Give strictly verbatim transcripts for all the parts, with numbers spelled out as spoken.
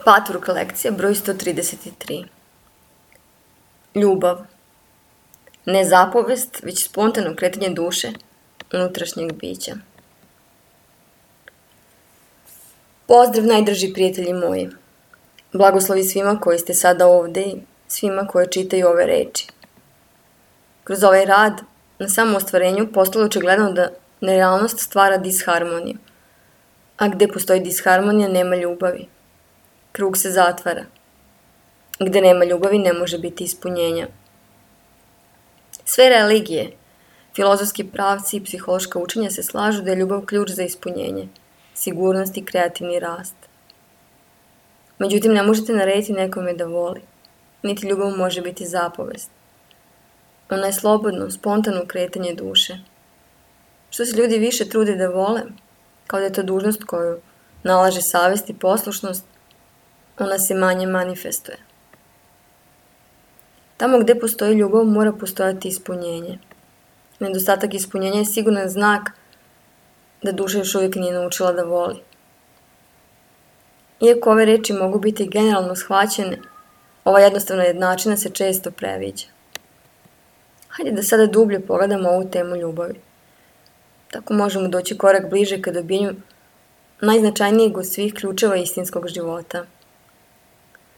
Patvork lekcija broj sto trideset tri. Ljubav. Ne zapovest, već spontano kretanje duše unutrašnjeg bića. Pozdrav, najdraži prijatelji moji. Blagoslovi svima koji ste sada ovde i svima koji čitaju ove reči. Kroz ovaj rad na samom ostvarenju postalo očigledno da nerealnost stvara disharmoniju. A gde postoji disharmonija, nema ljubavi. Krug se zatvara. Gde nema ljubavi, ne može biti ispunjenja. Sve religije, filozofski pravci i psihološka učenja se slažu da je ljubav ključ za ispunjenje, sigurnost i kreativni rast. Međutim, ne možete narediti nekome da voli, niti ljubav može biti zapovest. Ona je slobodno, spontano kretanje duše. Što se ljudi više trude da vole, kao da je to dužnost koju nalaže savest i poslušnost, ona se manje manifestuje. Tamo gde postoji ljubav mora postojati ispunjenje. Nedostatak ispunjenja je siguran znak da duša još uvijek nije naučila da voli. Iako ove reči mogu biti generalno shvaćene, ova jednostavna jednačina se često previđa. Hajde da sada dublje pogledamo ovu temu ljubavi. Tako možemo doći korak bliže ka dobijenju najznačajnijeg od svih ključeva istinskog života.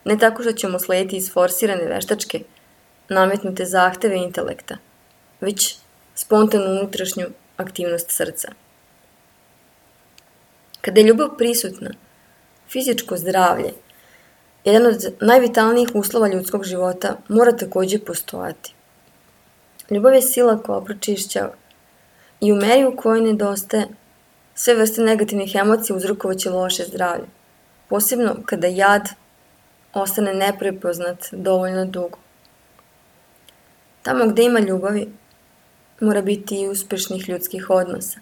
Ne tako što ćemo slediti isforsirane veštačke, nametnute zahteve intelekta, već spontanu unutrašnju aktivnost srca. Kada je ljubav prisutna, fizičko zdravlje, jedan od najvitalnijih uslova ljudskog života, mora također postojati. Ljubav je sila koja pročišćava i u meri u kojoj nedostaje, sve vrste negativnih emocija uzrokovaće loše zdravlje, posebno kada jad ostane neprepoznat dovoljno dugo. Tamo gde ima ljubavi, mora biti i uspešnih ljudskih odnosa,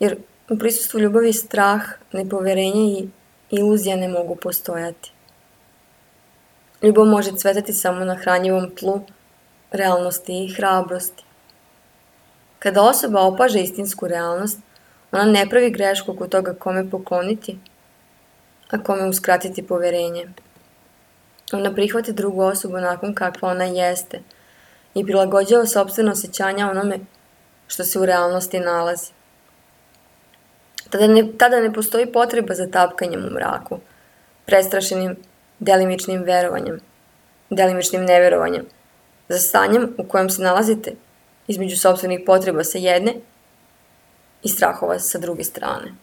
jer u prisustvu ljubavi strah, nepoverenje i iluzija ne mogu postojati. Ljubav može cvetati samo na hranjivom tlu, realnosti i hrabrosti. Kada osoba opaže istinsku realnost, ona ne pravi grešku oko toga kome pokloniti, a kome uskratiti poverenje. Ona prihvata drugu osobu nakon kakva ona jeste i prilagođava sopstveno osjećanja onome što se u realnosti nalazi. Tada ne, tada ne postoji potreba za tapkanjem u mraku, prestrašenim delimičnim verovanjem, delimičnim neverovanjem, za stanjem u kojem se nalazite između sopstvenih potreba sa jedne i strahova sa druge strane.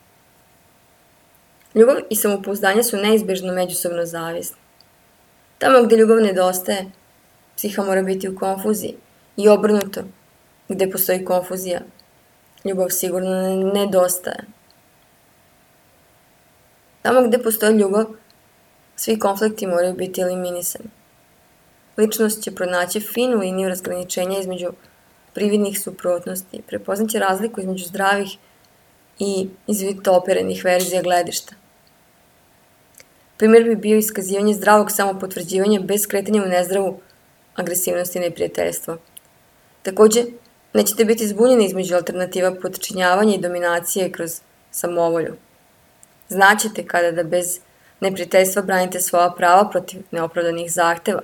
Ljubav i samopouzdanje su neizbežno međusobno zavisni. Tamo gde ljubav nedostaje, psiha mora biti u konfuziji i obrnuto, gde postoji konfuzija, ljubav sigurno nedostaje. Tamo gde postoji ljubav, svi konflikti moraju biti eliminisani. Ličnost će pronaći finu liniju razgraničenja između prividnih suprotnosti, prepoznaće razliku između zdravih i izvitoperenih verzija gledišta. Primjer bi bio iskazivanje zdravog samopotvrđivanja bez kretanja u nezdravu agresivnost i neprijateljstvo. Također, nećete biti zbunjeni između alternativa potčinjavanja i dominacije kroz samovolju. Znaćete kada da bez neprijateljstva branite svoja prava protiv neopravdanih zahteva,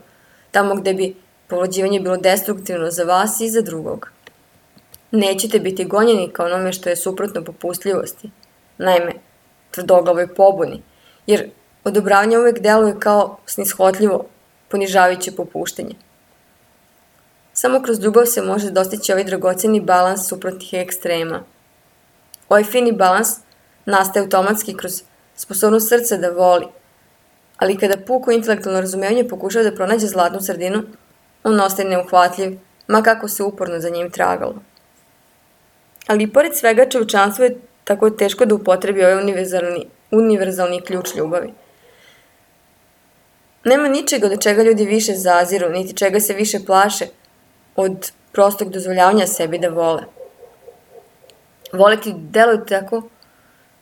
tamo gde bi povlađivanje bilo destruktivno za vas i za drugog. Nećete biti gonjeni kao onome što je suprotno popustljivosti, naime, tvrdoglavoj pobuni, jer odobravanje uvek deluje kao snishotljivo, ponižavajuće popuštanje. Samo kroz ljubav se može dostići ovaj dragoceni balans suprotnih ekstrema. Ovaj fini balans nastaje automatski kroz sposobnost srca da voli, ali kada puko intelektualno razumevanje pokušava da pronađe zlatnu sredinu, on ostaje neuhvatljiv, ma kako se uporno za njim tragalo. Ali i pored svega čovječanstvo je tako teško da upotrebi ovaj univerzalni, univerzalni ključ ljubavi. Nema ničega do čega ljudi više zaziru, niti čega se više plaše od prostog dozvoljavanja sebi da vole. Voleti deluje tako,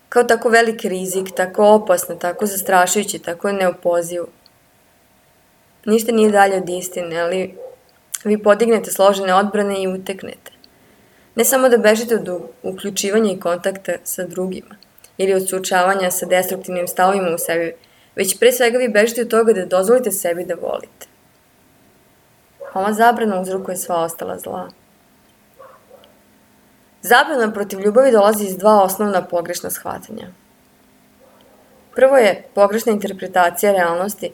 kao tako veliki rizik, tako opasno, tako zastrašujući, tako neopozivo. Ništa nije dalje od istine, ali vi podignete složene odbrane i uteknete. Ne samo da bežite od uključivanja i kontakta sa drugima ili od suočavanja sa destruktivnim stavovima u sebi, već pre svega vi bežite od toga da dozvolite sebi da volite. Ova zabrana uzrokuje sva ostala zla. Zabrana protiv ljubavi dolazi iz dva osnovna pogrešna shvatanja. Prvo je pogrešna interpretacija realnosti,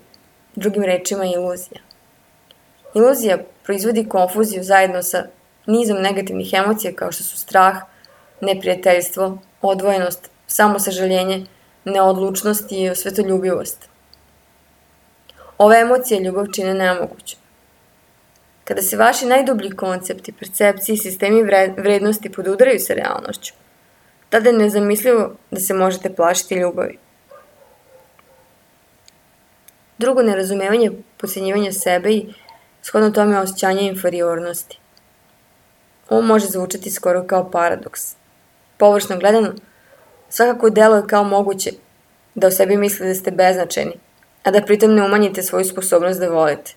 drugim rečima iluzija. Iluzija proizvodi konfuziju zajedno sa nizom negativnih emocija kao što su strah, neprijateljstvo, odvojenost, samosažaljenje, neodlučnost i osvetoljubivost. Ove emocije ljubav čine nemoguću. Kada se vaši najdublji koncepti, percepcije i sistemi vrednosti podudaraju sa realnošću, tada je nezamislivo da se možete plašiti ljubavi. Drugo, nerazumevanje podcenjivanja sebe i shodno tome osjećanje inferiornosti. Ovo može zvučati skoro kao paradoks. Površno gledano, svakako deluje kao moguće da o sebi mislite da ste beznačajni, a da pritom ne umanjite svoju sposobnost da volite.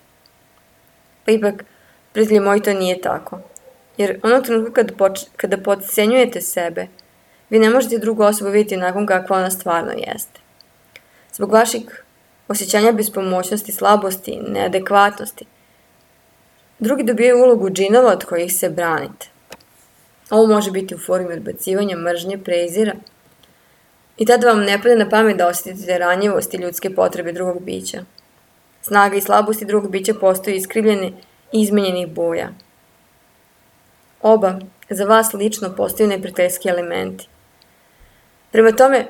Pa ipak, prijatelji moji, to nije tako. Jer onog trenutka kada, poč... kada podcenjujete sebe, vi ne možete drugu osobu vidjeti nakon kakva ona stvarno jeste. Zbog vaših osjećanja bespomoćnosti, slabosti, neadekvatnosti, drugi dobijaju ulogu džinova od kojih se branite. Ovo može biti u formi odbacivanja, mržnje, prezira. I tada vam ne pada na pamet da osjetite ranjivost i ljudske potrebe drugog bića. Snaga i slabosti drugog bića postoji iskrivljene i izmenjenih boja. Oba, za vas lično, postaju neprijateljski elementi. Prema tome,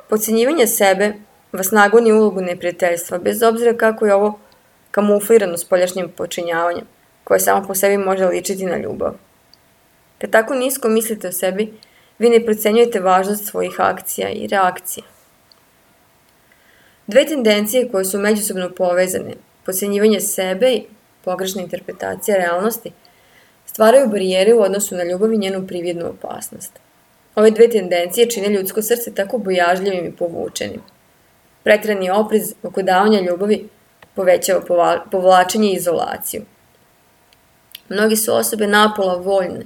podcenjivanje sebe vas nagoni ulogu neprijateljstva, bez obzira kako je ovo kamuflirano spoljašnjim počinjavanjem, koje samo po sebi može ličiti na ljubav. Kad tako nisko mislite o sebi, vi ne procenjujete važnost svojih akcija i reakcija. Dve tendencije koje su međusobno povezane, podcenjivanje sebe i pogrešna interpretacija realnosti, stvaraju barijere u odnosu na ljubav i njenu prividnu opasnost. Ove dve tendencije čine ljudsko srce tako bojažljivim i povučenim. Preterani oprez oko davanja ljubavi povećava povlačenje i izolaciju. Mnogi su osobe napola voljne,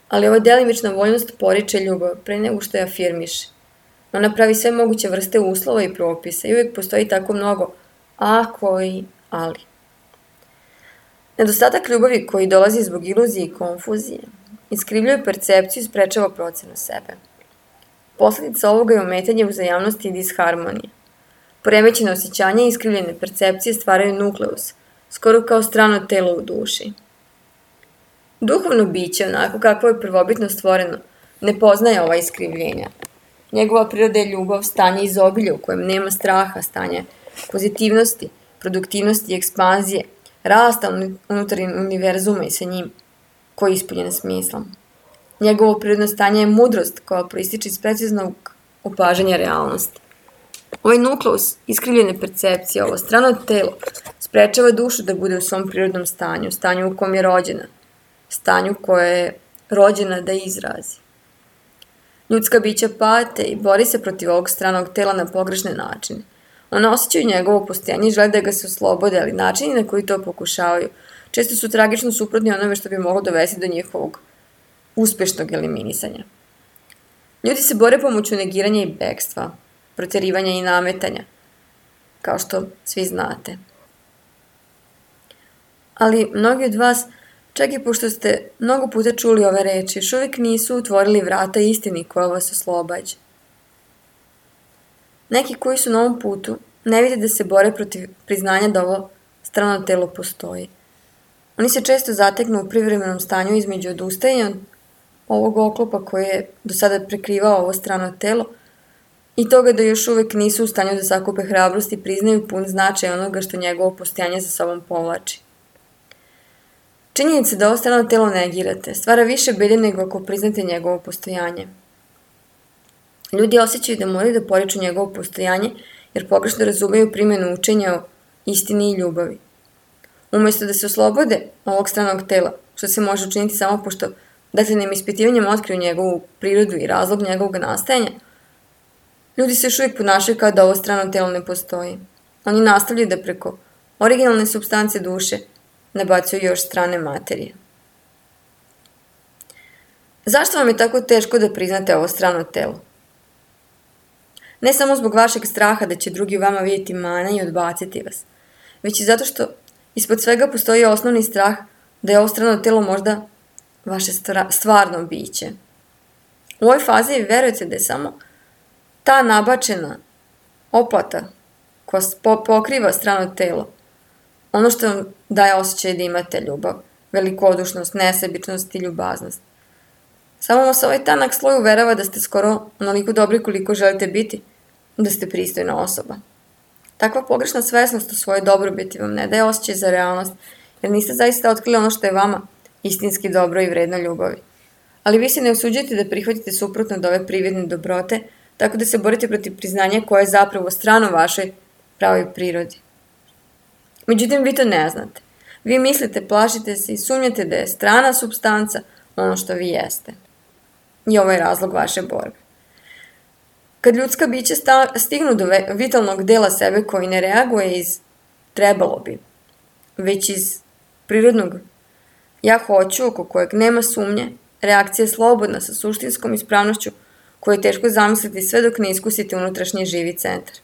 ali ova delimična voljnost poriče ljubav pre nego što je afirmiše. Ona pravi sve moguće vrste uslova i propisa i uvijek postoji tako mnogo ako i ali. Nedostatak ljubavi koji dolazi zbog iluzije i konfuzije iskrivljuje percepciju i sprečava procenu sebe. Posledica ovoga je ometanje uzajamnosti i disharmonije. Poremećene osjećanja i iskrivljene percepcije stvaraju nukleus, skoro kao strano telo u duši. Duhovno biće, onako kako je prvobitno stvoreno, ne poznaje ova iskrivljenja. Njegova priroda je ljubav, stanje izobilja u kojem nema straha, stanje pozitivnosti, produktivnosti i ekspanzije, rasta unutar univerzuma i sa njim, koji je ispunjen smislom. Njegovo prirodno stanje je mudrost koja proističe iz preciznog opažanja realnosti. Ovaj nukleus iskrivljene percepcije, ovo strano telo, sprečava dušu da bude u svom prirodnom stanju, stanju u kom je rođena, stanju koje je rođena da izrazi. Ljudska bića pate i bori se protiv ovog stranog tela na pogrešne načine. Ona osjećaju njegovo postojanje i žele da ga se oslobode, ali načini na koji to pokušavaju često su tragično suprotni onome što bi moglo dovesti do njihovog uspešnog eliminisanja. Ljudi se bore pomoću negiranja i bekstva, proterivanja i nametanja, kao što svi znate. Ali mnogi od vas, čak i pošto ste mnogo puta čuli ove reči, još uvijek nisu otvorili vrata istini koja vas oslobađa. Neki koji su na ovom putu ne vide da se bore protiv priznanja da ovo strano telo postoji. Oni se često zateknu u privremenom stanju između odustajanja ovog oklopa koje je do sada prekrivao ovo strano telo i toga da još uvijek nisu u stanju da sakupe hrabrost i priznaju pun značaj onoga što njegovo postojanje za sobom povlači. Činjenica da ovo strano telo negirate stvara više bede nego ako priznate njegovo postojanje. Ljudi osjećaju da moraju da poriču njegovo postojanje jer pogrešno razumeju primjenu učenja o istini i ljubavi. Umesto da se oslobode ovog stranog tela, što se može učiniti samo pošto detaljenim ispitivanjem otkriju njegovu prirodu i razlog njegovog nastajanja, ljudi se još uvijek ponašaju kao da ovo strano telo ne postoji. Oni nastavljaju da preko originalne supstance duše nabacuju još strane materije. Zašto vam je tako teško da priznate ovo strano telo? Ne samo zbog vašeg straha da će drugi u vama vidjeti mane i odbaciti vas, već i zato što ispod svega postoji osnovni strah da je ovo strano telo možda vaše stvarno biće. U ovoj fazi vi verujete da je samo ta nabačena oplata koja pokriva strano telo ono što vam daje osjećaj da imate ljubav, velikodušnost, nesebičnost i ljubaznost. Samo vas ovaj tanak sloj uverava da ste skoro onoliko dobri koliko želite biti, da ste pristojna osoba. Takva pogrešna svesnost u svojoj dobrobiti vam ne daje osjećaj za realnost, jer niste zaista otkrili ono što je vama istinski dobro i vredno ljubavi. Ali vi se ne usuđujete da prihvatite suprotno od ove prividne dobrote, tako da se borite protiv priznanja koje je zapravo strano vašoj pravoj prirodi. Međutim, vi to ne znate. Vi mislite, plašite se i sumnjate da je strana supstanca ono što vi jeste. I ovo je razlog vaše borbe. Kad ljudska bića stignu do vitalnog dela sebe koji ne reaguje iz trebalo bi, već iz prirodnog ja hoću, oko kojeg nema sumnje, reakcija je slobodna sa suštinskom ispravnošću koju je teško zamisliti sve dok ne iskusite unutrašnji živi centar.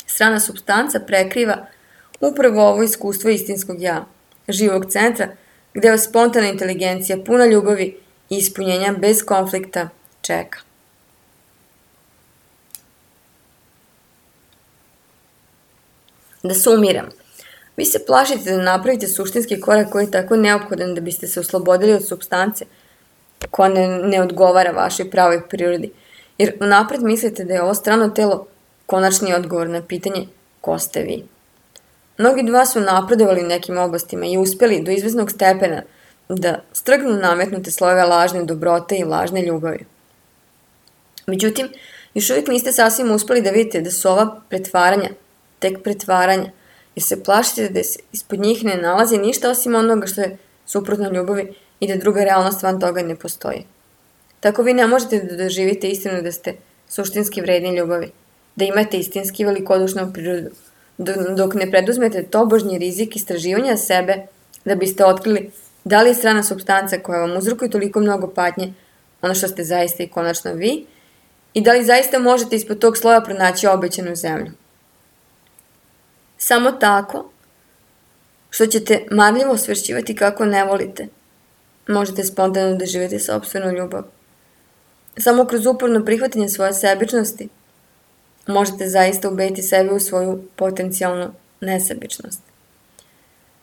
Strana supstanca prekriva upravo ovo iskustvo istinskog ja, živog centra, gde vas spontana inteligencija, puna ljubavi i ispunjenja bez konflikta čeka. Da sumiram, vi se plašite da napravite suštinski korak koji je tako neophodan da biste se oslobodili od supstance koja ne, ne odgovara vašoj pravoj prirodi, jer unapred mislite da je ovo strano telo konačni odgovor na pitanje ko ste vi. Mnogi od vas su napredovali u nekim oblastima i uspjeli do izvesnog stepena da strgnu nametnute slojeve lažne dobrote i lažne ljubavi. Međutim, još uvijek niste sasvim uspjeli da vidite da su ova pretvaranja tek pretvaranja, jer se plašite da se ispod njih ne nalazi ništa osim onoga što je suprotno ljubavi i da druga realnost van toga ne postoji. Tako vi ne možete da doživite istinu da ste suštinski vredni ljubavi, da imate istinski velikodušnu prirodu, dok ne preduzmete tobožnji rizik istraživanja sebe da biste otkrili da li je strana supstanca koja vam uzrokuje toliko mnogo patnje ono što ste zaista i konačno vi i da li zaista možete ispod tog sloja pronaći obećanu zemlju. Samo tako što ćete marljivo osvešćivati kako ne volite, možete spontano doživjeti sopstvenu ljubav. Samo kroz uporno prihvatanje svoje sebičnosti možete zaista ubediti sebe u svoju potencijalnu nesebičnost.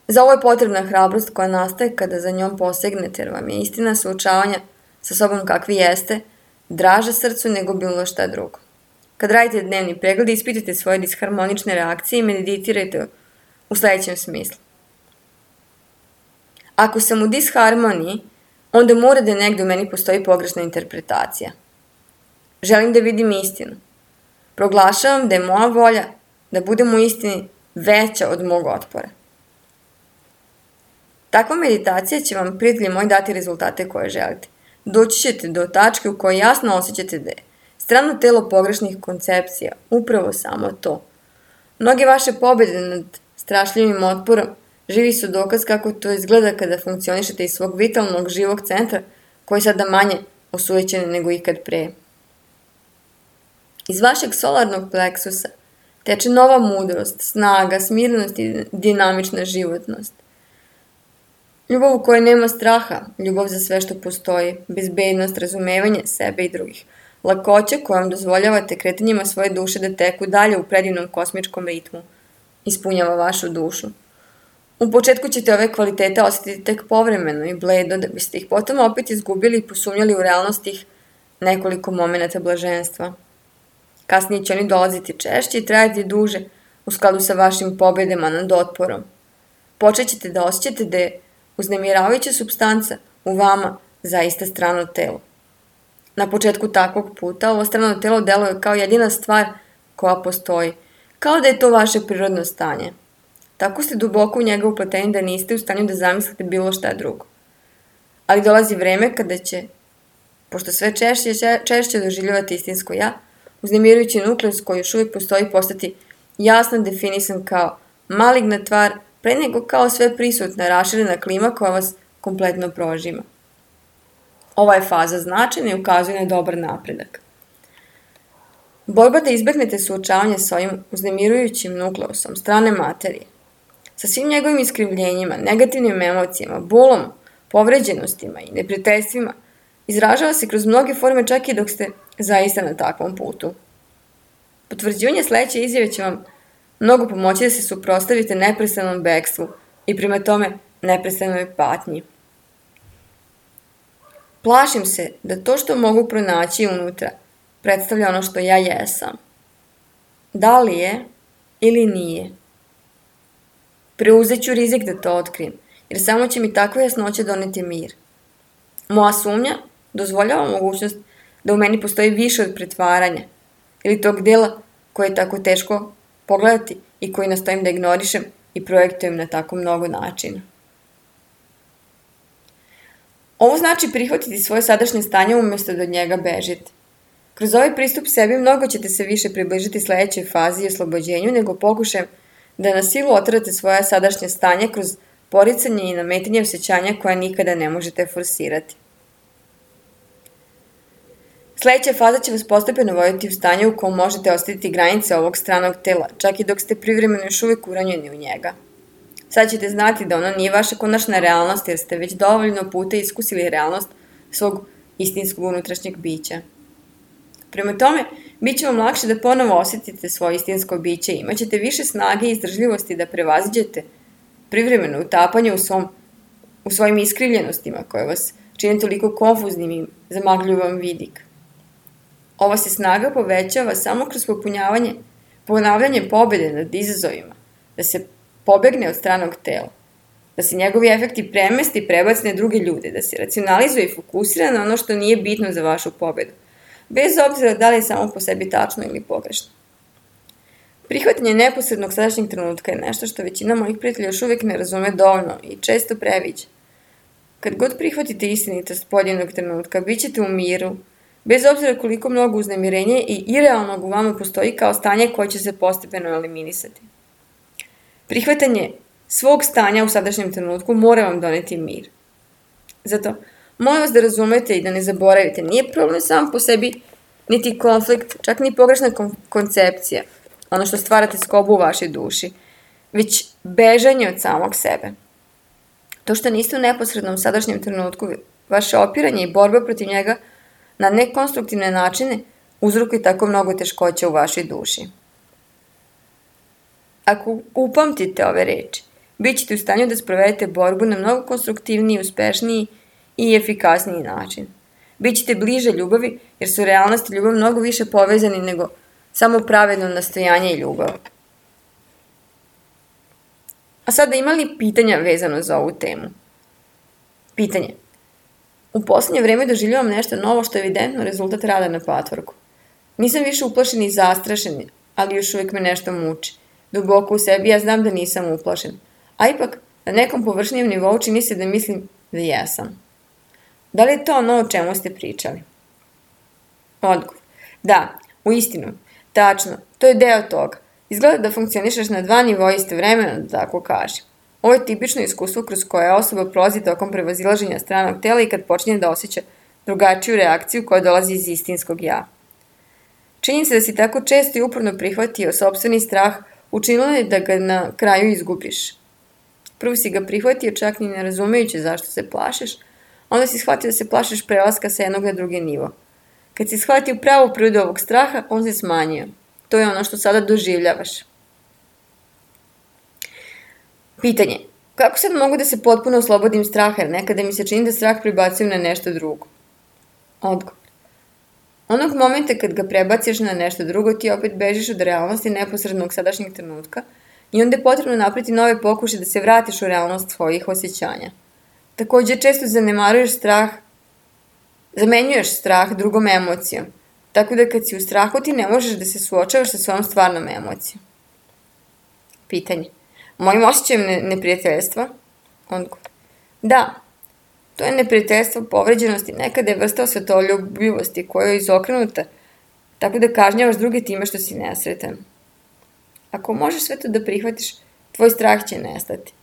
Za ovo je potrebna hrabrost koja nastaje kada za njom posegnete, jer vam je istina suočavanja sa sobom kakvi jeste, draža srcu nego bilo šta drugo. Kad radite dnevni pregled, ispitajte svoje disharmonične reakcije i meditirajte u sljedećem smislu. Ako sam u disharmoniji, onda mora da negde u meni postoji pogrešna interpretacija. Želim da vidim istinu. Proglašavam da je moja volja da budem u istini veća od mog otpora. Takva meditacija će vam, prijatelji moji, dati rezultate koje želite. Doći ćete do tačke u kojoj jasno osjećate da je strano telo pogrešnih koncepcija upravo samo to. Mnoge vaše pobjede nad strašljivim otporom živi su dokaz kako to izgleda kada funkcionišete iz svog vitalnog živog centra koji je sada manje osujećen nego ikad pre. Iz vašeg solarnog pleksusa teče nova mudrost, snaga, smirnost i dinamična životnost. Ljubav u kojoj nema straha, ljubav za sve što postoji, bezbednost, razumevanje sebe i drugih, lakoća kojom dozvoljavate kretanjima svoje duše da teku dalje u predivnom kosmičkom ritmu, ispunjava vašu dušu. U početku ćete ove kvalitete osjetiti tek povremeno i bledo, da biste ih potom opet izgubili i posumnjali u realnost tih nekoliko momenata blaženstva. Kasnije će oni dolaziti češće i trajati duže u skladu sa vašim pobjedama nad otporom. Počet ćete da osjećate da je uznemiravajuća supstanca u vama zaista strano telo. Na početku takvog puta ovo strano telo deluje kao jedina stvar koja postoji, kao da je to vaše prirodno stanje. Tako ste duboko u njega upleteni da niste u stanju da zamislite bilo šta drugo. Ali dolazi vreme kada će, pošto sve češće češće doživljavate istinsko ja, uznemirujući nukleus koji još uvijek postoji postati jasno definisan kao maligna tvar, pre nego kao sve prisutna raširena klima koja vas kompletno prožima. Ova je faza značajna i ukazuje na dobar napredak. Borba da izbegnete suočavanje s ovim uznemirujućim nukleusom strane materije, sa svim njegovim iskrivljenjima, negativnim emocijama, bolom, povređenostima i neprijateljstvima, izražava se kroz mnoge forme čak i dok ste zaista na takvom putu. Potvrđivanje sledeće izjave će vam mnogo pomoći da se suprotstavite neprestanom bekstvu i prema tome neprestanoj patnji. Plašim se da to što mogu pronaći unutra predstavlja ono što ja jesam. Da li je ili nije? Preuzet ću rizik da to otkrijem, jer samo će mi takva jasnoća doneti mir. Moja sumnja dozvoljava mogućnost da u meni postoji više od pretvaranja ili tog dela koje je tako teško pogledati i koji nastojim da ignorišem i projektujem na tako mnogo načina. Ovo znači prihvatiti svoje sadašnje stanje umjesto da od njega bežite. Kroz ovaj pristup sebi mnogo ćete se više približiti sledećoj fazi i oslobođenju nego pokušajem da na silu otrate svoje sadašnje stanje kroz poricanje i nametanje osjećanja koja nikada ne možete forsirati. Sledeća faza će vas postepeno voditi u stanje u kom možete ostaviti granice ovog stranog tela, čak i dok ste privremeno još uvijek uranjeni u njega. Sad ćete znati da ono nije vaša konačna realnost jer ste već dovoljno puta iskusili realnost svog istinskog unutrašnjeg bića. Prema tome, bit će vam lakše da ponovo osjetite svoje istinsko biće i imat ćete više snage i izdržljivosti da prevaziđete privremeno utapanje u, svom, u svojim iskrivljenostima koje vas čine toliko konfuznim i zamagljuju vam vidik. Ova se snaga povećava samo kroz popunjavanje, ponavljanje pobede nad izazovima, da se pobegne od stranog tela, da se njegovi efekti premesti i prebaci na druge ljude, da se racionalizuje i fokusira na ono što nije bitno za vašu pobedu, bez obzira da li je samo po sebi tačno ili pogrešno. Prihvatanje neposrednog sadašnjeg trenutka je nešto što većina mojih prijatelja još uvijek ne razume dovoljno i često previđa. Kad god prihvatite istinitost pojedinog trenutka, bit ćete u miru, bez obzira koliko mnogo uznemirenja i irealnog u vama postoji kao stanje koje će se postepeno eliminisati. Prihvatanje svog stanja u sadašnjem trenutku mora vam doneti mir. Zato, molim vas da razumete i da ne zaboravite, nije problem sam po sebi niti konflikt, čak ni pogrešna koncepcija, ono što stvarate skobu u vašoj duši, već bežanje od samog sebe. To što niste u neposrednom sadašnjem trenutku, vaše opiranje i borba protiv njega na nekonstruktivne načine uzrokuje tako mnogo teškoća u vašoj duši. Ako upamtite ove reči, bit ćete u stanju da sprovedete borbu na mnogo konstruktivniji, uspešniji i efikasniji način. Bićete bliže ljubavi jer su realnost i ljubav mnogo više povezani nego samo pravedno nastojanje i ljubav. A sada ima li pitanja vezano za ovu temu? Pitanje. U posljednje vreme doživljavam nešto novo što je evidentno rezultat rada na patvorku. Nisam više uplašen i zastrašen, ali još uvijek me nešto muči. Duboko u sebi ja znam da nisam uplašen, a ipak na nekom površnijem nivou čini se da mislim da jesam. Da li je to ono o čemu ste pričali? Odgovor. Da, u istinu, tačno, to je deo toga. Izgleda da funkcionišeš na dva nivoa istovremeno, da tako kažem. Ovo je tipično iskustvo kroz koje osoba prolazi tokom prevazilaženja stranog tela i kad počinje da osjeća drugačiju reakciju koja dolazi iz istinskog ja. Čini se da si tako često i uporno prihvatio sopstveni strah, učinilo je da ga na kraju izgubiš. Prvo si ga prihvatio čak ni ne razumejući zašto se plašiš, onda si shvatio da se plašiš prelaska sa jednog na drugi nivo. Kad si shvatio pravu prirodu ovog straha, on se smanjio. To je ono što sada doživljavaš. Pitanje. Kako sad mogu da se potpuno oslobodim straha, jer nekada mi se čini da strah prebacujem na nešto drugo? Odgovor. Onog momenta kad ga prebaciš na nešto drugo, ti opet bežiš od realnosti neposrednog sadašnjeg trenutka i onda je potrebno napraviti nove pokušaje da se vratiš u realnost svojih osjećanja. Također često zanemaruješ strah, zamenjuješ strah drugom emocijom, tako da kad si u strahu ti ne možeš da se suočavaš sa svojom stvarnom emocijom. Pitanje. Mojim osjećajem ne, neprijateljstva? Odgovor. Da, to je neprijateljstvo povređenosti, nekada je vrsta osvetoljubivosti koja je izokrenuta, tako da kažnjavaš druge time što si nesretan. Ako možeš sve to da prihvatiš, tvoj strah će nestati.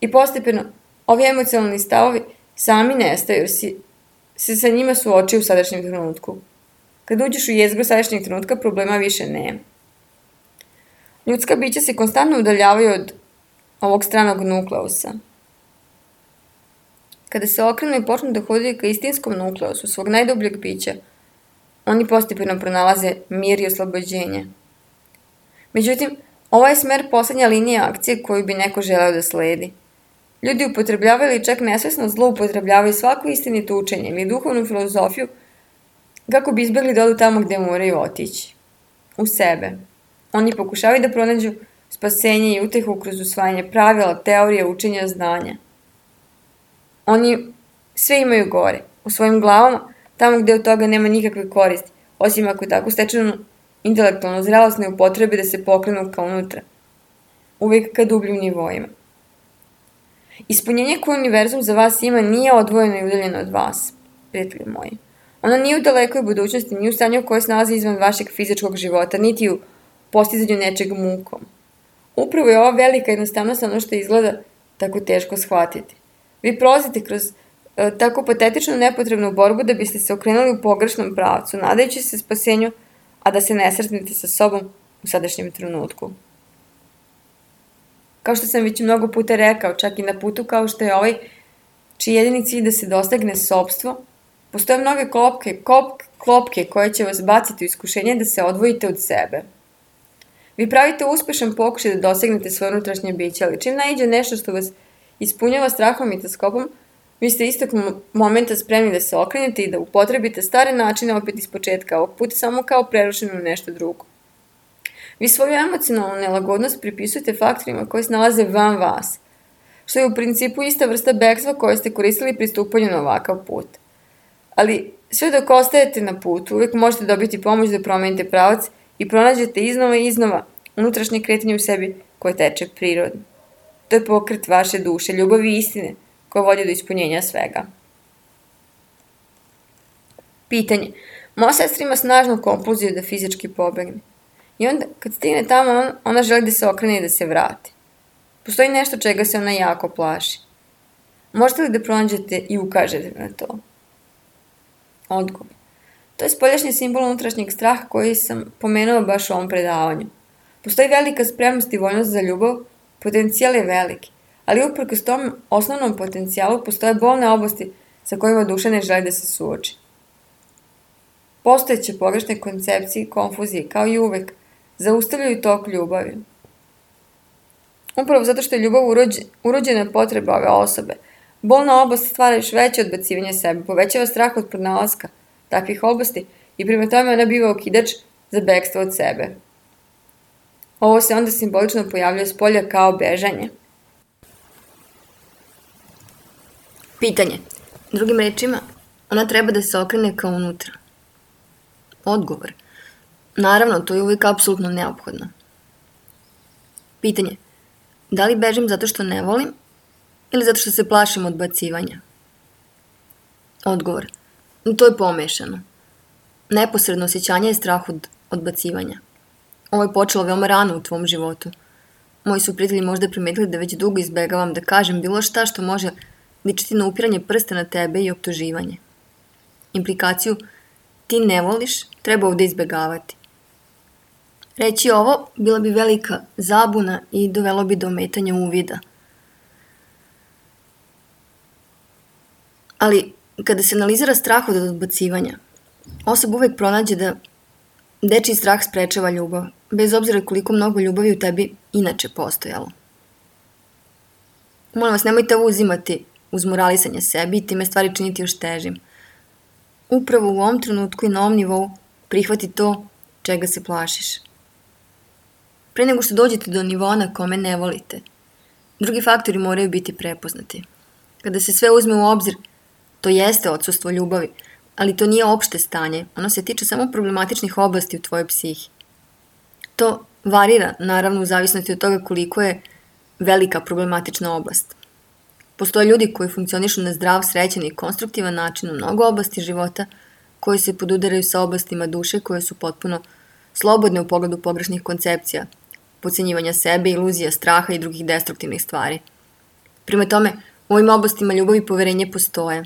I postepeno, ovi emocionalni stavovi sami nestaju jer si se sa njima suočio u sadašnjem trenutku. Kad uđeš u jezgru sadašnjeg trenutka, problema više nema. Ljudska bića se konstantno udaljavaju od ovog stranog nukleusa. Kada se okrenu i počnu da hodaju ka istinskom nukleusu svog najdubljeg bića, oni postepeno pronalaze mir i oslobođenje. Međutim, ovo je smer poslednja linija akcije koju bi neko želeo da sledi. Ljudi upotrebljavaju ili čak nesvesno zloupotrebljavaju svako istinito učenje ili duhovnu filozofiju kako bi izbjegli da odu tamo gde moraju otići. U sebe. Oni pokušavaju da pronađu spasenje i utehu kroz usvajanje pravila, teorije, učenja, znanja. Oni sve imaju gore, u svojim glavama, tamo gde od toga nema nikakve koristi, osim ako tako stečenu intelektualnu zrelost ne upotrebe da se pokrenu ka unutra, uvijek ka dubljim nivoima. Ispunjenje koje univerzum za vas ima nije odvojeno i udaljeno od vas, prijatelji moji. Ono nije u dalekoj budućnosti, nije u stanju koje se nalazi izvan vašeg fizičkog života, niti u postizanju nečeg mukom. Upravo je ova velika jednostavnost ono što izgleda tako teško shvatiti. Vi prolazite kroz e, tako patetičnu nepotrebnu borbu da biste se okrenuli u pogrešnom pravcu, nadajući se spasenju, a da se ne sretnete sa sobom u sadašnjem trenutku. Kao što sam već mnogo puta rekao, čak i na putu kao što je ovaj, čiji jedini cilj da se dostagne sopstvo, postoje mnoge klopke, kop, klopke koje će vas baciti u iskušenje da se odvojite od sebe. Vi pravite uspešan pokušaj da dosegnete svoje unutrašnje biće, ali čim naiđe nešto što vas ispunjava strahom i taskopom, vi ste istog momenta spremni da se okrenete i da upotrebite stare načine opet iz početka, ovog puta samo kao prerušeno nešto drugo. Vi svoju emocionalnu nelagodnost pripisujete faktorima koji se nalaze van vas, što je u principu ista vrsta bekstva koje ste koristili pri stupanju na ovakav put. Ali sve dok ostajete na putu, uvijek možete dobiti pomoć da promenite pravac i pronađete iznova i iznova unutrašnje kretanje u sebi koje teče prirodno. To je pokret vaše duše, ljubavi i istine koja vodi do ispunjenja svega. Pitanje. Moja sestra ima snažnu kompulziju da fizički pobegne. I onda, kad stigne tamo, ona želi da se okrene i da se vrati. Postoji nešto čega se ona jako plaši. Možete li da pronađete i ukažete na to? Odgovor. To je spoljašnji simbol unutrašnjeg straha koji sam pomenuo baš u ovom predavanju. Postoji velika spremnost i voljnost za ljubav, potencijal je veliki, ali uprkos tom osnovnom potencijalu postoje bolne oblasti sa kojima duša ne želi da se suoči. Postojeće pogrešne koncepcije i konfuzije, kao i uvek, zaustavljaju tok ljubavi. Upravo zato što je ljubav urođena potreba ove osobe, bolna oblast stvara još veće odbacivanje sebe, povećava strah od pronalaska takvih oblasti i prema tome ona biva okidač za bekstvo od sebe. Ovo se onda simbolično pojavljuje s polja kao bežanje. Pitanje. Drugim rečima, ona treba da se okrene kao unutra. Odgovor. Naravno, to je uvijek apsolutno neophodno. Pitanje. Da li bežim zato što ne volim ili zato što se plašim odbacivanja? Odgovor. To je pomešano. Neposredno osjećanje je strah od odbacivanja. Ovo je počelo veoma rano u tvom životu. Moji su prijatelji možda primetili da već dugo izbegavam da kažem bilo šta što može ličiti na upiranje prsta na tebe i optuživanje. Implikaciju ti ne voliš treba ovde izbegavati. Reći ovo bila bi velika zabuna i dovelo bi do ometanja uvida. Ali kada se analizira strah od odbacivanja, osoba uvek pronađe da dečiji strah sprečava ljubav, bez obzira koliko mnogo ljubavi u tebi inače postojalo. Molim vas, nemojte ovo uzimati uz moralisanje sebi i time stvari činiti još težim. Upravo u ovom trenutku i na ovom nivou prihvati to čega se plašiš. Pre nego što dođete do nivoa na kome ne volite, drugi faktori moraju biti prepoznati. Kada se sve uzme u obzir, to jeste odsustvo ljubavi, ali to nije opšte stanje, ono se tiče samo problematičnih oblasti u tvojoj psihi. To varira, naravno, u zavisnosti od toga koliko je velika problematična oblast. Postoje ljudi koji funkcionišu na zdrav, srećan i konstruktivan način u mnogo oblasti života, koji se podudaraju sa oblastima duše koje su potpuno slobodne u pogledu pogrešnih koncepcija, podcenjivanja sebe, iluzija, straha i drugih destruktivnih stvari. Prema tome, u ovim oblastima ljubav i poverenje postoje.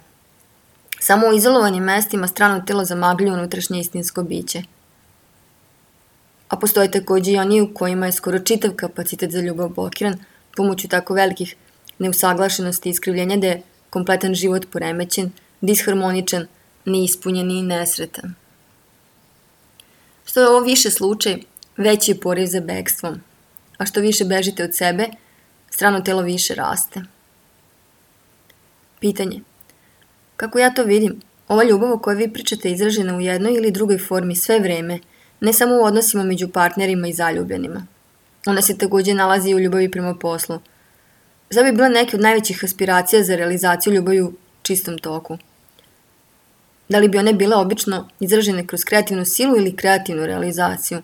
Samo u izolovanim mestima strano telo zamagljuje unutrašnje istinsko biće. A postoje takođe i oni u kojima je skoro čitav kapacitet za ljubav blokiran pomoću tako velikih neusaglašenosti i iskrivljenja da je kompletan život poremećen, disharmoničan, neispunjen i nesretan. Što je ovo više slučaj, veći je poriv za bekstvom, a što više bežite od sebe, strano telo više raste. Pitanje. Kako ja to vidim, ova ljubav o kojoj vi pričate je izražena u jednoj ili drugoj formi sve vreme, ne samo u odnosima među partnerima i zaljubljenima. Ona se takođe nalazi i u ljubavi prema poslu. Zar bi bila neke od najvećih aspiracija za realizaciju ljubavi u čistom toku? Da li bi one bile obično izražene kroz kreativnu silu ili kreativnu realizaciju?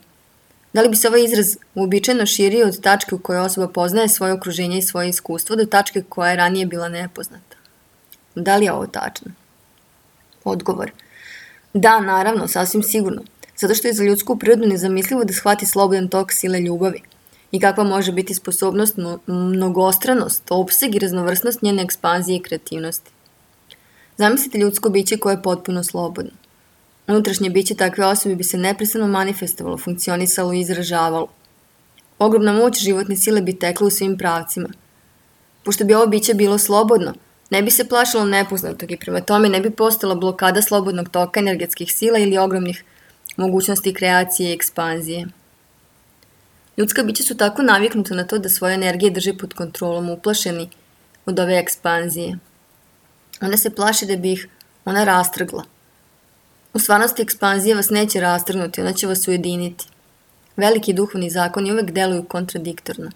Da li bi se ovaj izraz uobičajeno širio od tačke u kojoj osoba poznaje svoje okruženje i svoje iskustvo do tačke koja je ranije bila nepoznata? Da li je ovo tačno? Odgovor. Da, naravno, sasvim sigurno. Zato što je za ljudsku prirodu nezamislivo da shvati slobodan tok sile ljubavi i kakva može biti sposobnost, mnogostranost, opseg i raznovrsnost njene ekspanzije i kreativnosti. Zamislite ljudsko biće koje je potpuno slobodno. Unutrašnje biće takve osobe bi se neprestano manifestovalo, funkcionisalo i izražavalo. Ogromna moć životne sile bi tekla u svim pravcima. Pošto bi ovo biće bilo slobodno, ne bi se plašilo nepoznatog i prema tome ne bi postala blokada slobodnog toka energetskih sila ili ogromnih mogućnosti kreacije i ekspanzije. Ljudska bića su tako naviknuta na to da svoje energije drže pod kontrolom, uplašeni od ove ekspanzije. Ona se plaši da bi ih ona rastrgla. U stvarnosti ekspanzija vas neće rastrgnuti, ona će vas ujediniti. Veliki duhovni zakoni uvek deluju kontradiktorno.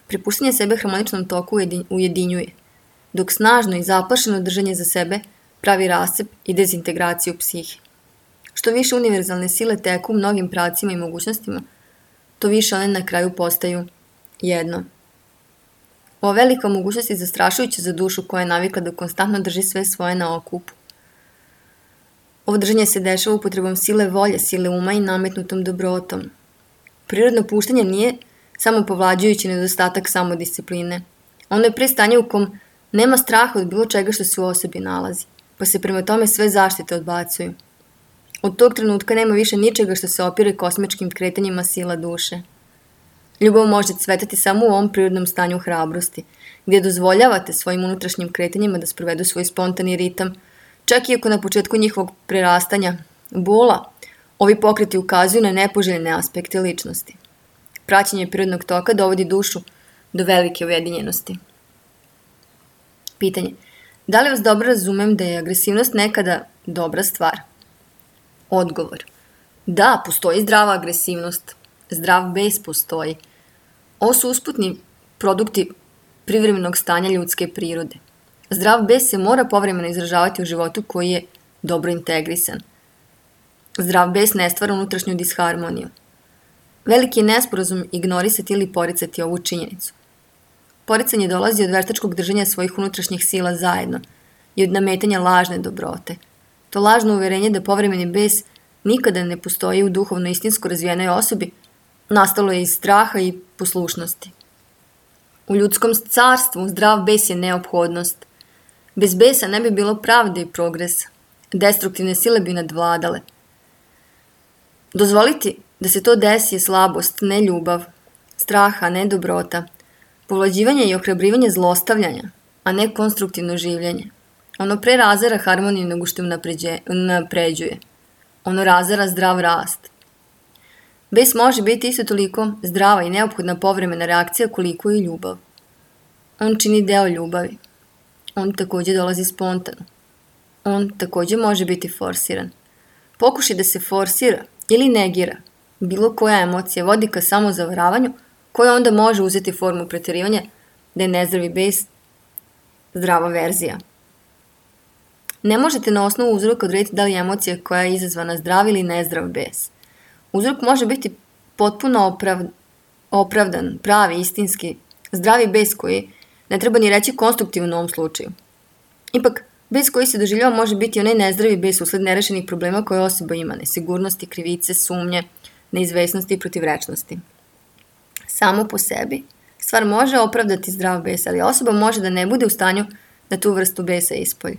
Prepuštanje sebe harmoničnom toku ujedinjuje, dok snažno i zaplašeno držanje za sebe pravi rascep i dezintegraciju psihe. Što više univerzalne sile teku u mnogim pravcima i mogućnostima, to više one na kraju postaju jedno. Ova velika mogućnost je zastrašujuća za dušu koja je navikla da konstantno drži sve svoje na okupu. Ovo držanje se dešava upotrebom sile volje, sile uma i nametnutom dobrotom. Prirodno puštanje nije samo povlađujući nedostatak samodiscipline. Ono je pre stanje u kom nema straha od bilo čega što se u osobi nalazi, pa se prema tome sve zaštite odbacuju. Od tog trenutka nema više ničega što se opire kosmičkim kretanjima sila duše. Ljubav može cvetati samo u ovom prirodnom stanju hrabrosti, gdje dozvoljavate svojim unutrašnjim kretanjima da sprovedu svoj spontani ritam, čak i ako na početku njihovog prerastanja bola, ovi pokreti ukazuju na nepoželjne aspekte ličnosti. Praćenje prirodnog toka dovodi dušu do velike ujedinjenosti. Pitanje. Da li vas dobro razumem da je agresivnost nekada dobra stvar? Odgovor. Da, postoji zdrava agresivnost. Zdrav bes postoji. Ovo su usputni produkti privremenog stanja ljudske prirode. Zdrav bes se mora povremeno izražavati u životu koji je dobro integrisan. Zdrav bes ne stvara unutrašnju disharmoniju. Veliki je nesporazum ignorisati ili poricati ovu činjenicu. Poricanje dolazi od veštačkog držanja svojih unutrašnjih sila zajedno i od nametanja lažne dobrote. To lažno uverenje da povremeni bes nikada ne postoji u duhovno istinsko razvijenoj osobi nastalo je iz straha i poslušnosti. U ljudskom carstvu zdrav bes je neophodnost. Bez besa ne bi bilo pravde i progresa. Destruktivne sile bi nadvladale. Dozvoliti da se to desi je slabost, ne ljubav, straha, ne dobrota, povlađivanje i ohrabrivanje zlostavljanja, a ne konstruktivno življenje. Ono pre razara harmoniju nego što napređuje. Ono razara zdrav rast. Bes može biti isto toliko zdrava i neophodna povremena reakcija koliko i ljubav. On čini deo ljubavi. On takođe dolazi spontano. On takođe može biti forsiran. Pokušaj da se forsira ili negira bilo koja emocija vodi ka samozavaravanju koja onda može uzeti formu preterivanja da je nezdravi bes zdrava verzija. Ne možete na osnovu uzroka odrediti da li je emocija koja je izazvana zdrav ili nezdrav bes. Uzrok može biti potpuno oprav, opravdan, pravi, istinski, zdravi bes koji ne treba ni reći konstruktivan u ovom slučaju. Ipak, bes koji se doživljava može biti onaj nezdravi bes usled nerešenih problema koje osoba ima, nesigurnosti, krivice, sumnje, neizvesnosti i protivrečnosti. Samo po sebi stvar može opravdati zdrav bes, ali osoba može da ne bude u stanju da tu vrstu besa ispolji.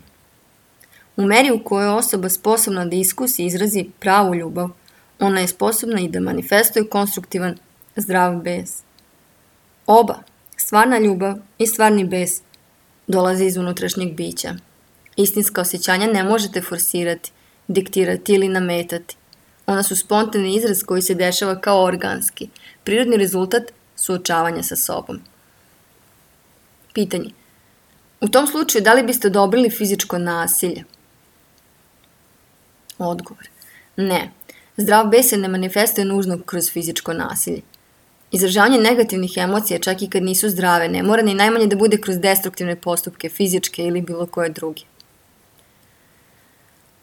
U meri u kojoj je osoba sposobna da iskusi i izrazi pravu ljubav, ona je sposobna i da manifestuje konstruktivan, zdrav bes. Oba, stvarna ljubav i stvarni bes, dolaze iz unutrašnjeg bića. Istinska osjećanja ne možete forsirati, diktirati ili nametati. Ona su spontani izraz koji se dešava kao organski, prirodni rezultat suočavanja sa sobom. Pitanje. U tom slučaju, da li biste odobrili fizičko nasilje? Odgovor. Ne. Zdrav bes se ne manifestuje nužno kroz fizičko nasilje. Izražavanje negativnih emocija, čak i kad nisu zdrave, ne mora ni najmanje da bude kroz destruktivne postupke, fizičke ili bilo koje druge.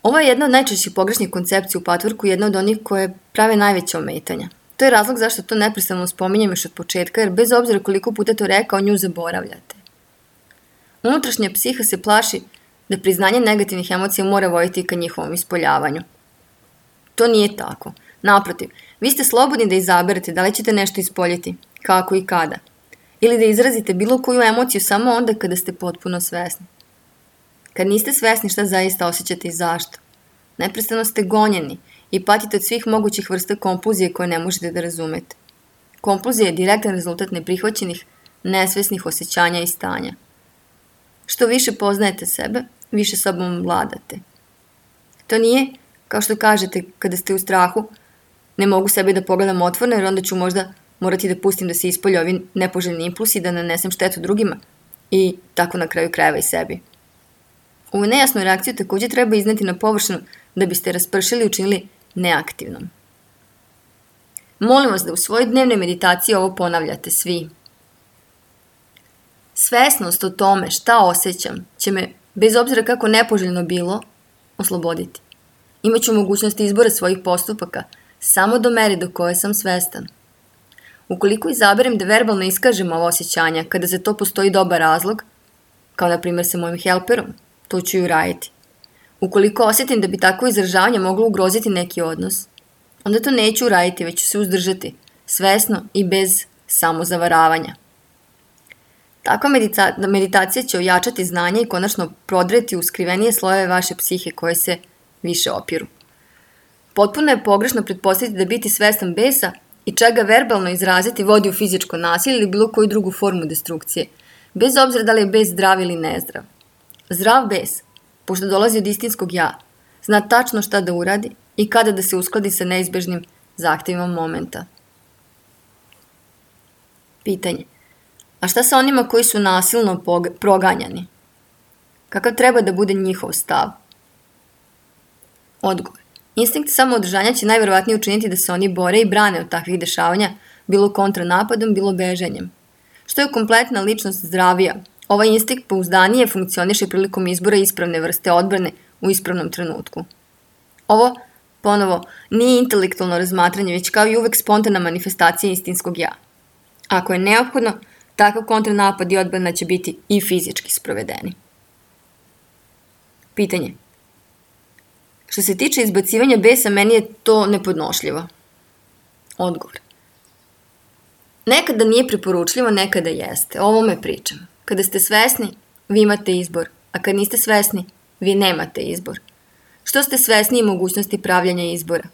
Ovo je jedna od najčešćih pogrešnih koncepcija u patvorku i jedna od onih koje prave najveće ometanja. To je razlog zašto to neprestano spominjem još od početka, jer bez obzira koliko puta to rekao, nju zaboravljate. Unutrašnja psiha se plaši da priznanje negativnih emocija mora voditi ka njihovom ispoljavanju. To nije tako. Naprotiv, vi ste slobodni da izaberete da li ćete nešto ispoljiti, kako i kada. Ili da izrazite bilo koju emociju samo onda kada ste potpuno svesni. Kad niste svesni šta zaista osjećate i zašto, neprestano ste gonjeni i patite od svih mogućih vrsta kompulzije koje ne možete da razumete. Kompulzija je direktan rezultat neprihvaćenih, nesvesnih osjećanja i stanja. Što više poznajete sebe, više sobom vladate. To nije, kao što kažete kada ste u strahu, ne mogu sebe da pogledam otvorno jer onda ću možda morati da pustim da se ispolje ovi nepoželjni impulsi, da nanesem štetu drugima i tako na kraju krajeva i sebi. Ovu nejasnu reakciju također treba izneti na površinu da biste raspršili i učinili neaktivnom. Molim vas da u svojoj dnevnoj meditaciji ovo ponavljate svi. Svesnost o tome šta osjećam će me, bez obzira kako nepoželjno bilo, osloboditi. Imaću mogućnost izbora svojih postupaka samo do mere do koje sam svestan. Ukoliko izaberem da verbalno iskažem ovo osjećanja kada za to postoji dobar razlog, kao na primjer sa mojim helperom, to ću i uraditi. Ukoliko osjetim da bi tako izražavanje moglo ugroziti neki odnos, onda to neću uraditi, već ću se uzdržati, svesno i bez samozavaravanja. Takva medita- meditacija će ojačati znanje i konačno prodreti u skrivenije slojeve vaše psihe koje se više opiru. Potpuno je pogrešno pretpostaviti da biti svestan besa i čega verbalno izraziti vodi u fizičko nasilje ili bilo koju drugu formu destrukcije, bez obzira da li je bes zdrav ili nezdrav. Zdrav bes, pošto dolazi od istinskog ja, zna tačno šta da uradi i kada da se uskladi sa neizbežnim zahtevima momenta. Pitanje. A šta sa onima koji su nasilno proganjani? Kakav treba da bude njihov stav? Odgovor. Instinkt samoodržanja će najverovatnije učiniti da se oni bore i brane od takvih dešavanja, bilo kontranapadom, bilo bežanjem. Što je kompletna ličnost zdravija, ovaj instinkt pouzdanije funkcioniše prilikom izbora ispravne vrste odbrane u ispravnom trenutku. Ovo, ponovo, nije intelektualno razmatranje, već kao i uvek spontana manifestacija istinskog ja. Ako je neophodno, takav kontranapad i odbrana će biti i fizički sprovedeni. Pitanje. Što se tiče izbacivanja besa, meni je to nepodnošljivo. Odgovor. Nekada nije preporučljivo, nekada jeste. O ovome pričam. Kada ste svesni, vi imate izbor, a kad niste svesni, vi nemate izbor. Što ste svesni i mogućnosti pravljanja izbora?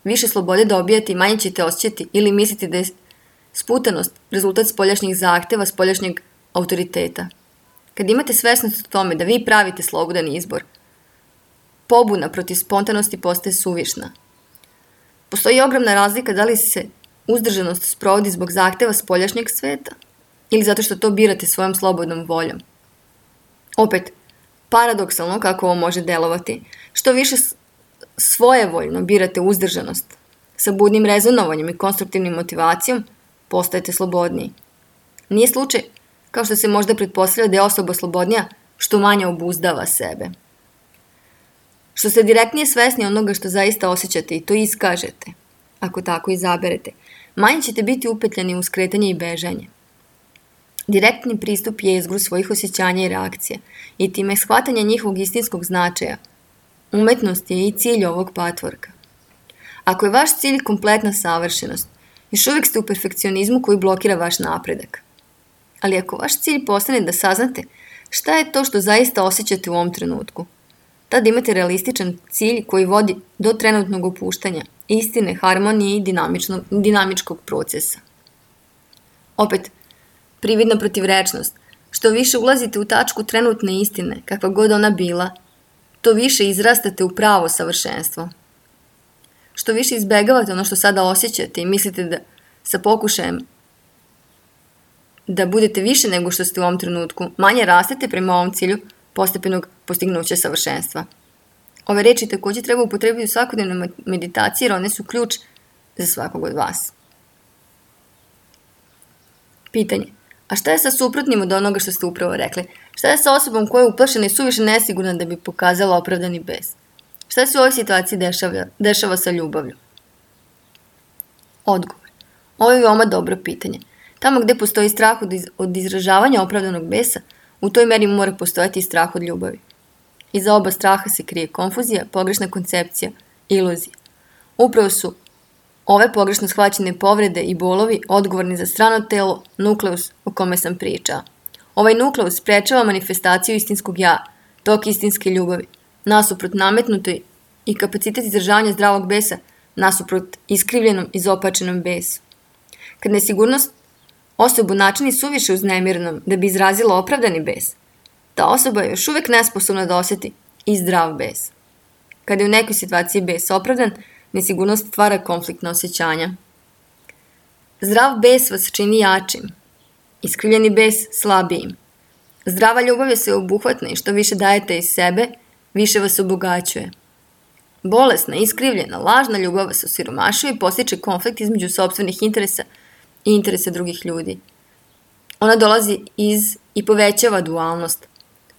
Više slobode dobijate i manje ćete osjećati ili misliti da je sputanost rezultat spoljašnjih zahteva, spoljašnjeg autoriteta. Kad imate svesnost o tome da vi pravite slobodan izbor, pobuna protiv spontanosti postaje suvišna. Postoji ogromna razlika da li se uzdržanost sprovodi zbog zahteva spoljašnjeg sveta ili zato što to birate svojom slobodnom voljom. Opet, paradoksalno kako ovo može delovati, što više svojevoljno birate uzdržanost, sa budnim rezonovanjem i konstruktivnim motivacijom, postajete slobodniji. Nije slučaj, kao što se možda pretpostavlja da je osoba slobodnija, što manje obuzdava sebe. Što ste direktnije svesni onoga što zaista osjećate i to iskažete, ako tako izaberete, manje ćete biti upetljani u skretanje i bežanje. Direktni pristup je izgru svojih osjećanja i reakcija i time shvatanje njihovog istinskog značaja. Umetnost je i cilj ovog patvorka. Ako je vaš cilj kompletna savršenost, još uvijek ste u perfekcionizmu koji blokira vaš napredak. Ali ako vaš cilj postane da saznate šta je to što zaista osjećate u ovom trenutku, Tada imate realističan cilj koji vodi do trenutnog opuštanja, istine, harmonije i dinamičkog procesa. Opet, prividna protivrečnost. Što više ulazite u tačku trenutne istine, kakva god ona bila, to više izrastate u pravo savršenstvo. Što više izbegavate ono što sada osjećate i mislite da sa pokušajem da budete više nego što ste u ovom trenutku, manje rastete prema ovom cilju postepenog postignuća savršenstva. Ove reči također treba upotrebiti u svakodnevnoj meditaciji jer one su ključ za svakog od vas. Pitanje. A šta je sa suprotnim od onoga što ste upravo rekli? Šta je sa osobom koja je uplašena i suviše nesigurna da bi pokazala opravdani bes? Šta se u ovoj situaciji dešava, dešava sa ljubavlju? Odgovor. Ovo je veoma dobro pitanje. Tamo gde postoji strah od, iz, od izražavanja opravdanog besa, u toj meri mora postojati i strah od ljubavi. Iza oba straha se krije konfuzija, pogrešna koncepcija, iluzija. Upravo su ove pogrešno shvaćene povrede i bolovi odgovorni za strano telo, nukleus o kome sam pričao. Ovaj nukleus sprečava manifestaciju istinskog ja, tok istinske ljubavi, nasuprot nametnutoj i kapacitet izražavanja zdravog besa, nasuprot iskrivljenom i zopačenom besu. Kad nesigurnost osobu načini suviše uznemirnom da bi izrazila opravdani bes, ta osoba je još uvek nesposobna da osjeti i zdrav bes. Kada je u nekoj situaciji bes opravdan, nesigurnost stvara konfliktna osjećanja. Zdrav bes vas čini jačim, iskrivljeni bes slabijim. Zdrava ljubav je sveobuhvatna i što više dajete iz sebe, više vas obogaćuje. Bolesna, iskrivljena, lažna ljubav vas osiromašuje i postiče konflikt između sopstvenih interesa i interesa drugih ljudi. Ona dolazi iz i povećava dualnost.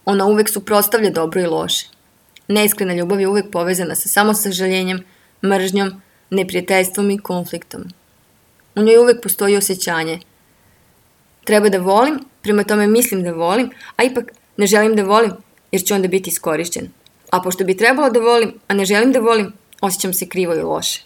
Ona uvek suprotstavlja dobro i loše. Neiskrena ljubav je uvek povezana sa samosažaljenjem, mržnjom, neprijateljstvom i konfliktom. U njoj uvek postoji osjećanje. Treba da volim, prema tome mislim da volim, a ipak ne želim da volim jer ću onda biti iskorišćen. A pošto bi trebalo da volim, a ne želim da volim, osjećam se krivo i loše.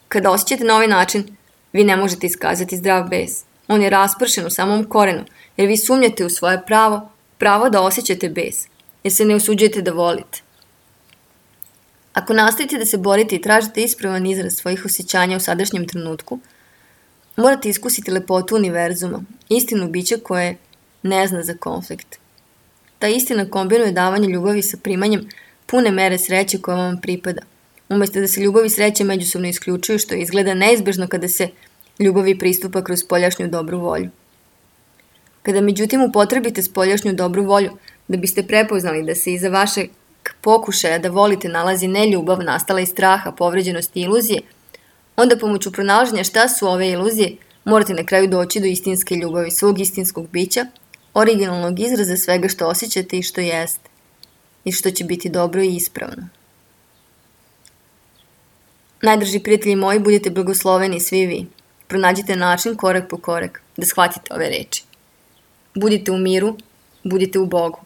Kada osjećate na ovaj način, vi ne možete iskazati zdrav bes. On je raspršen u samom korenu, jer vi sumnjate u svoje pravo, pravo da osjećate bes, jer se ne usuđujete da volite. Ako nastavite da se borite i tražite ispravan izraz svojih osjećanja u sadašnjem trenutku, morate iskusiti lepotu univerzuma, istinu bića koje ne zna za konflikt. Ta istina kombinuje davanje ljubavi sa primanjem pune mere sreće koja vam pripada, umjesto da se ljubav i sreće međusobno isključuju, što izgleda neizbežno kada se ljubavi pristupa kroz spoljašnju dobru volju. Kada međutim upotrebite spoljašnju dobru volju, da biste prepoznali da se iza vašeg pokušaja da volite nalazi ne ljubav nastala iz straha, povređenosti i iluzije, onda pomoću pronalaženja šta su ove iluzije, morate na kraju doći do istinske ljubavi, svog istinskog bića, originalnog izraza svega što osjećate i što jeste, i što će biti dobro i ispravno. Najdrži prijatelji moji, budite blagosloveni svi vi. Pronađite način korak po korak da shvatite ove reči. Budite u miru, budite u Bogu.